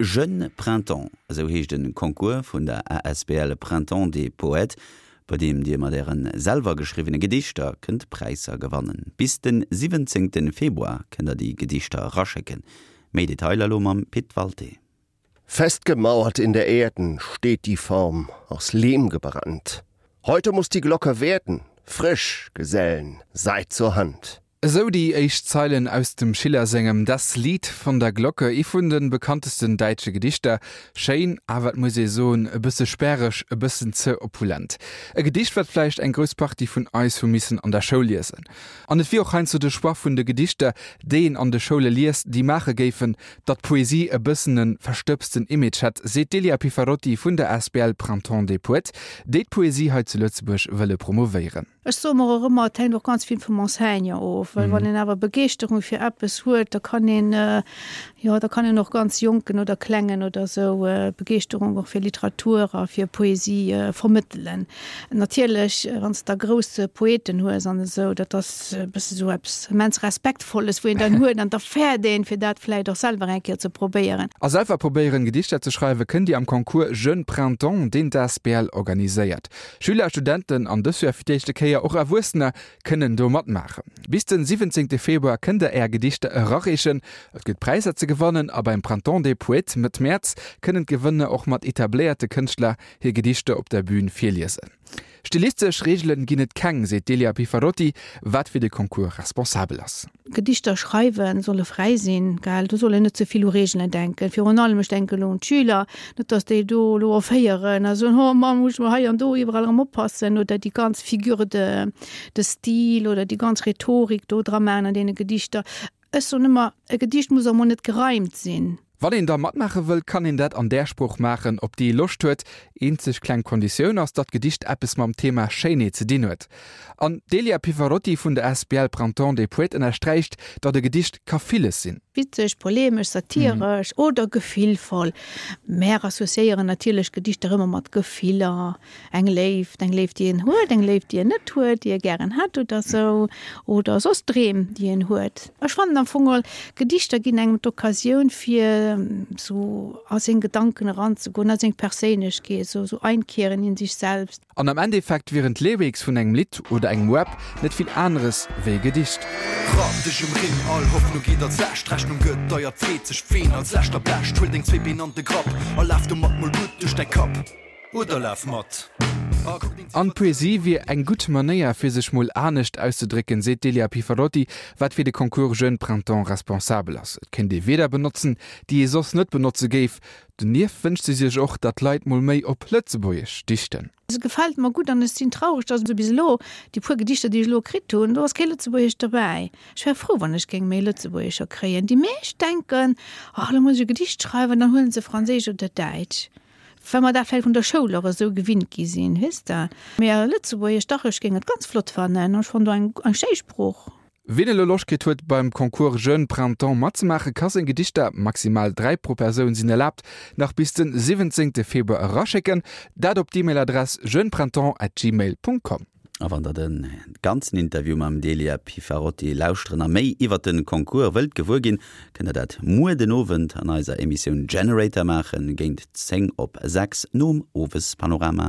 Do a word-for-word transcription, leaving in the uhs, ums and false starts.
Jeune Printemps, esou heescht de Concours vun der A S B L Printemps des Poètes, bei deem Dir mat Äre selwer geschriwwene Gedichter kënnt Präisser gewannen. Bis de siwwenzéngte Februar kënnt der déi Gedichter eraschécken. Méi Detailer elo mam Pit Walté. Festgemauert in der Erden steht die Form aus Lehm gebrannt. Heute muss die Glocke werden, frisch, Gesellen, seid zur Hand. Esou déi éischt Zeilen aus dem Schiller sengem Das Lied von der Glocke, ee vun de bekanntesten däitsche Gedichter. Schéin, awer et muss ee soen, e bësse sperreg, e bëssen ze opulent. E Gedicht, wat vläicht eng grouss Partie vun eis hu missen an der Schoul liesen. An et wier och heiansdo de Choix vun de Gedichter, déi een an de Schoule liest, déi maache géifen, datt d'Poesie e bëssen e verstëbsten Image hätt, seet d'Delia Piffarotti vun der A S B L Printemps des Poètes, déi d'Poesie hei zu Lëtzebuerg wëlle promovéieren. Ech soe mer och ëmmer, et hänkt och ganz vill vum Enseignant of, well wann een awer Begeeschterung fir eppes huet, da kann een äh, jo da kann een och ganz Jonken oder Klengen oder sou äh, Begeeschterung och fir Literatur a fir Poesie äh, vermëttelen. Natierlech äh, wann s de da grouss Poeten hues an esou, dat ass e bësse sou eppes immens Respektvolles, wou een dann huet an da fäert een fir dat vläicht och selwer eng Kéier ze probéieren. A selwer probéieren Gedichter ze schreiwe kënnt Dir am Concours Jeune Printemps, deen d'A S B L organiséiert. Schüler, Studenten an dëst Joer fir d'éischte Kéier och Erwuessener kënnen do matmaachen. Bis den siwwenzéngte Februar kënnt der är Gedichter erareechen. Et gëtt Präisser ze gewannen a beim Printemps des Poètes Mëtt Mäerz kënnen d'Gewënner och mat etabléierte Kënschtler hir Gedichter op der Bün virliesen. Stilistesch Reegelen ginn et keng, seet d'Delia Piffarotti, wat fir de Concours responsabel ass. Gedichter schreiwen solle fräi sinn, gell? Do soll een net ze vill u Reegelen denken. Virun allem ech denken elo un d'Schüler, net dass déi do elo erféieren, also oh Mann, muss ech mol hei an do iwwerall erëm oppassen oder déi ganz Figure de, de style oder déi ganz Rhetorik do dra maachen an deene Gedichter. Ech soen ëmmer, e Gedicht muss och mol net gereimt sinn. Wann een da matmaache wëll, kann een dat an där Sprooch maachen, op déi ee Loscht huet. Eenzeg kleng Konditioun ass, datt d'Gedicht eppes mam Thema Schéinheet ze dinn huet. An d'Delia Piffarotti vun der A S B L Printemps des Poètes ënnersträicht, datt e Gedicht ka villes sinn. Witzeg, polemesch, satiresch mhm. oder gefillvoll. Mär assoziéieren natierlech Gedichter ëmmer mat Gefiller, eng Léift, eng Léift, déi een huet, eng Léift, déi een net huet, déi ee gären hätt oder sou oder soss Dreem, déi een huet. Ech fannen am Fong all Gedichter ginn engem d'Occasioun fir sou a seng Gedanken eranzegoen, a seng Perséinlechkeet, sou sou einkehren in sich selbst. An am Endeffekt wieren d'Lyrics vun engem Lidd oder engem Rap net vill aneres wéi Gedicht. Rapp dech um Rimm, all Hoffnung geet als lescht, Rechnung gëtt deier, freet sech ween als lescht erblecht. Huel deng zwee Been an de Grapp a laf domat mol gutt duerch däi Kapp oder laf mat. An Poesie wier eng gutt Manéier fir sech mol anescht auszedrécken, seet d'Delia Piffarotti, wat fir de Concours Jeune Printemps responsabel ass. Et kéint ee Wierder benotzen, déi ee soss net benotze géif. Donieft wënscht si sech och, datt d'Leit mol méi op Lëtzebuergesch dichten. Se gefält mer gutt an ech sinn traureg, dass bis elo déi puer Gedichter, déi ech elo kritt hunn, do ass kee Lëtzebuergesch dobäi. Ech wär frou, wann ech géing méi Lëtzebuergescher kréien. Déi meescht denken, ach, elo muss ech e Gedicht schreiwen, dann huelen se Franséisch oder Däitsch. Well mer dat vläicht vun der Schoul och esou gewinnt gi sinn, weess de. Mee Lëtzebuergesch, dach, ech géing et ganz flott fannen. Ech fannen do eng, eng schéi Sprooch. Wien elo Loscht kritt huet beim Concours Jeune Printemps matzemaachen, ka seng Gedichter, maximal dräi pro Persoun sinn erlaabt, nach bis den siwwenzéngte Februar eraschécken, dat op d'E-Mail-Adress jeuneprintemps at gmail Punkt com. A wann der de ganzen Interview mam Delia Piffarotti lauschteren a méi iwwer de Concours wëllt gewuer ginn, kënnt der dat muer den Owend an eiser Emissioun Generator maachen, géint zéng op sechs nom Owespanorama.